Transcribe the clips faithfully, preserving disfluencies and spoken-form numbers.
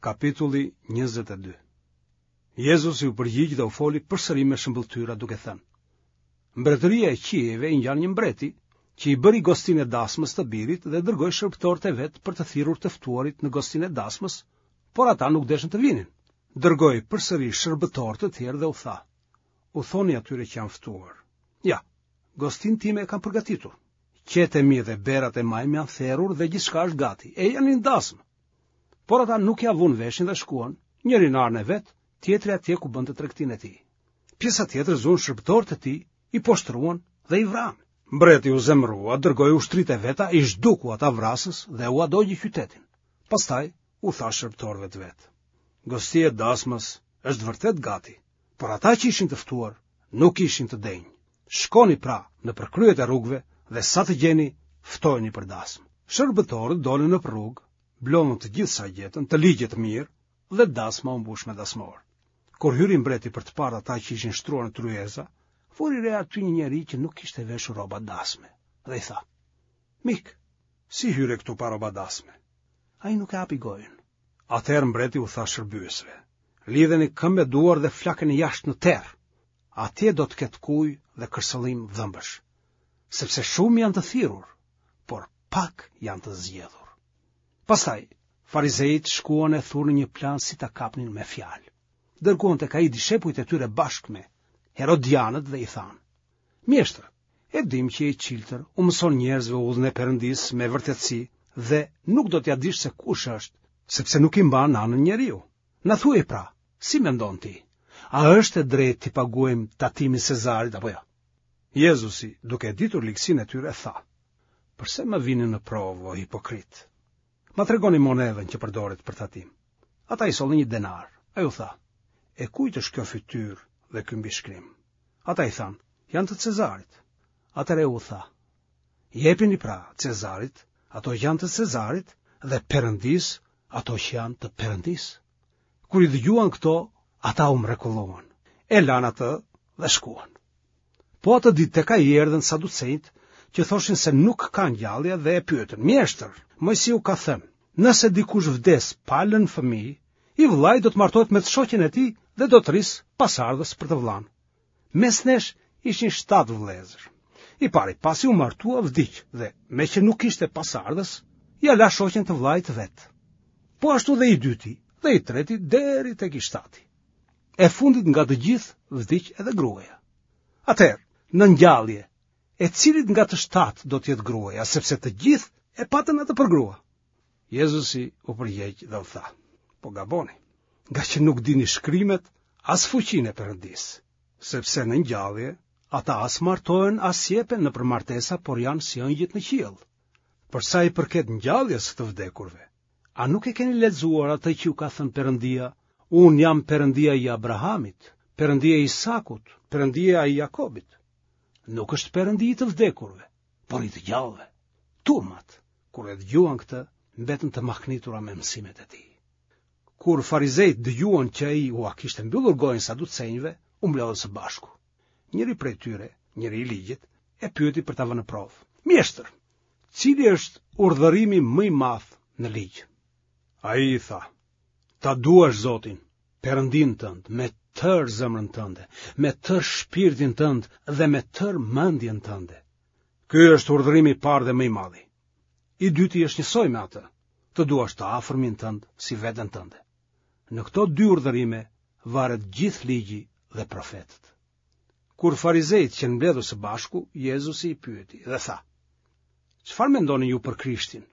Kapitulli njëzet e dy. Jezusi u përgjigj dhe u foli përsëri me shëmbëlltyra duke thënë: Mbretëria e qiejve i ngjan një mbreti që i bëri gostinë e dasmës të birit dhe dërgoi shërbëtorët e vet për të thirrur të ftuarit në gostinë e dasmës, por ata nuk deshën të vinin. Dërgoi përsëri shërbëtorë të tjerë dhe u tha: U thoni atyre që janë ftuar: Ja, gostinë time e kam përgatitur. Qetë e mi dhe berat e majmë janë therur dhe gjithçka është gati. Ejani në dasmë. Por ata nuk ia vunë veshin dhe shkuan, njëri në arën e vet, tjetri atje ku bënte tregtinë e tij. Pjesa tjetër zunë shërbëtorët e tij, i poshtëruan dhe i vranë. Mbreti u zemërua, dërgoi ushtritë e veta, i zhduku ata vrasës dhe ua dogji qytetin. Pastaj u tha shërbëtorëve të vet: Gostia e dasmës është vërtet gati, por ata që ishin të ftuar nuk ishin të denjë. Shkoni pra nëpër kryet e rrugëve dhe sa të gjeni, ftojeni për dasmë. Shërbëtorët dolën nëpër rrugë, mblodhën të gjithë sa gjetën, të ligj e të mirë, dhe dasma u mbush me dasmorë. Kur hyri mbreti për të parë ata që ishin shtruar në tryeza, vuri re aty një njeri që nuk kishte veshur rroba dasme, dhe i tha: Mik, si hyre këtu pa rroba dasme? Ai nuk e hapi gojën. Atëherë mbreti u tha shërbyesve: Lidheni këmbë e duar dhe flakeni jashtë në terr. Atje do të ketë kujë dhe kërcëllim dhëmbësh, sepse shumë janë të thirrur, por pak janë të zgjedhur. Pastaj, farizejtë shkuan e thurën një plan si ta kapnin me fjalë. Dërguan tek ai dishepujt e tyre bashkë me Herodianët dhe i thanë: Mjeshtër, e dimë që je i çiltër, u mëson njerëzve udhën e Perëndisë me vërtetësi dhe nuk do t'ia dish se kush është, sepse nuk i mban anën njeriu. Na thuaj pra, si mendon ti? A është e drejtë t'i paguajmë tatimin Cezarit apo jo? Jezusi, duke e ditur ligësinë e tyre, tha: Përse më vini në provë, o hipokritë? Ma tregoni monedhën që përdoret për tatim. Ata i sollën një denar. Ai u tha: E kujt është kjo fytyrë dhe ky mbishkrim? Ata i thanë: Janë të Cezarit. Atëherë u tha: Jepini pra Cezarit ato që janë të Cezarit dhe Perëndisë ato që janë të Perëndisë. Kur i dëgjuan këto, ata u mrekulluan, e lanë atë dhe shkuan. Po atë ditë tek ai erdhën saducenjtë që thoshin se nuk ka ngjallje dhe e pyetën: Mjeshtër, Moisiu ka thënë, nëse dikush vdes pa lënë fëmijë, i vëllai do të martohet me të shoqen e tij dhe do të rrisë pasardhës për të vëllanë. Mes nesh ishin shtatë vëllezër. I pari, pasi u martua, vdiq dhe, meqë nuk kishte pasardhës, ia la shoqen të vëllait të vet. Po ashtu dhe i dyti, dhe i treti deri tek i shtati. E fundit nga të gjithë vdiq edhe gruaja. Atëherë, në ngjallje, e cilit nga të shtatë do të jetë gruaja, sepse të gjithë e patën atë për grua. Jezusi u përgjigj dhe u tha: Po gaboni, nga që nuk dini shkrimet as fuqinë e Perëndisë, sepse në ngjallje ata as martohen as jepen nëpër martesa, por janë si engjëjt në qiell. Për sa i përket ngjalljes së të vdekurve, a nuk e keni lexuar atë që ju ka thënë Perëndia? Unë jam Perëndia i Abrahamit, Perëndia i Isakut, Perëndia i Jakobit. Nuk është Perëndi i të vdekurve, por i të gjallëve. Turmat, kur e dëgjuan këtë, mbetën të mahnitura me mësimet e tij. Kur farizejtë dëgjuan që ai ua kishte mbyllur gojën saducenjve, u mblodhën së bashku. Njëri prej tyre, njëri i ligjit, e pyeti për ta vënë në provë: Mjeshtër, cili është urdhërimi më i madh në ligj? Ai i tha: Ta duash Zotin, Perëndinë tënd, me tërë zemrën tënde, me tërë shpirtin tënd dhe me tërë mendjen tënde. Ky është urdhërimi i parë dhe më i madhi. I dyti është njësoj me atë, të duash të afërmin tënd si veten tënde. Në këto dy urdhërime varet gjithë ligji dhe profetët. Kur farizejtë qenë mbledhur së bashku, Jezusi i pyeti dhe tha: Çfarë mendoni ju për Krishtin?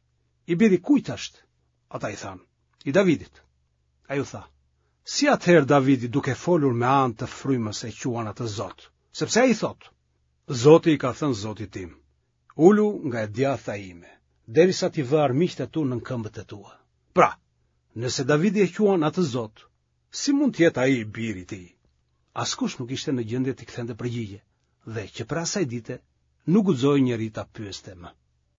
I biri kujt është? Ata i thanë: I Davidit. Ai u tha: Si atëherë Davidi duke folur me anë të frymës e quan atë Zot? Sepse ai thotë: Zoti i ka thënë Zotit tim, ulu nga e djathta ime, derisa t'i vë armiqtë e tu nën këmbët e tua. Pra, nëse Davidi e quan atë Zot, si mund të jetë ai i biri i tij? Askush nuk ishte në gjendje t'i kthente përgjigje, dhe që prej asaj dite nuk guxoi njeri ta pyeste më.